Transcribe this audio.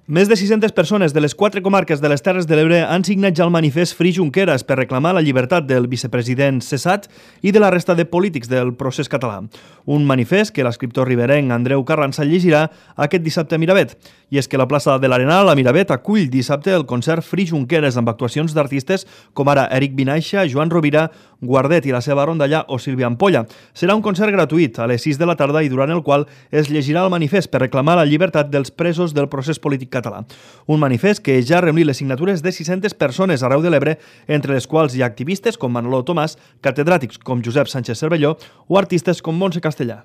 Més de 600 persones de les 4 comarques de les Terres de l'Ebre han signat ja el manifest Free Junqueras per reclamar la llibertat del vicepresident cessat i de la resta de polítics del procés català. Un manifest que l'escriptor riberenc Andreu Carranza llegirà aquest dissabte a Miravet. I és que la plaça de l'Arenal a Miravet acull dissabte el concert Free Junqueras amb actuacions d'artistes com ara Eric Vinaixa, Joan Rovira, Guardet i la seva rondalla o Sílvia Ampolla. Serà un concert gratuït a les 6 de la tarda i durant el qual es llegirà el manifest per reclamar la llibertat dels presos del procés polític català. Un manifest que ja ha reunit les signatures de 600 persones arreu de l'Ebre, entre les quals hi ha activistes com Manolo Tomàs, catedràtics com Josep Sánchez Cervelló o artistes com Montse Castellà.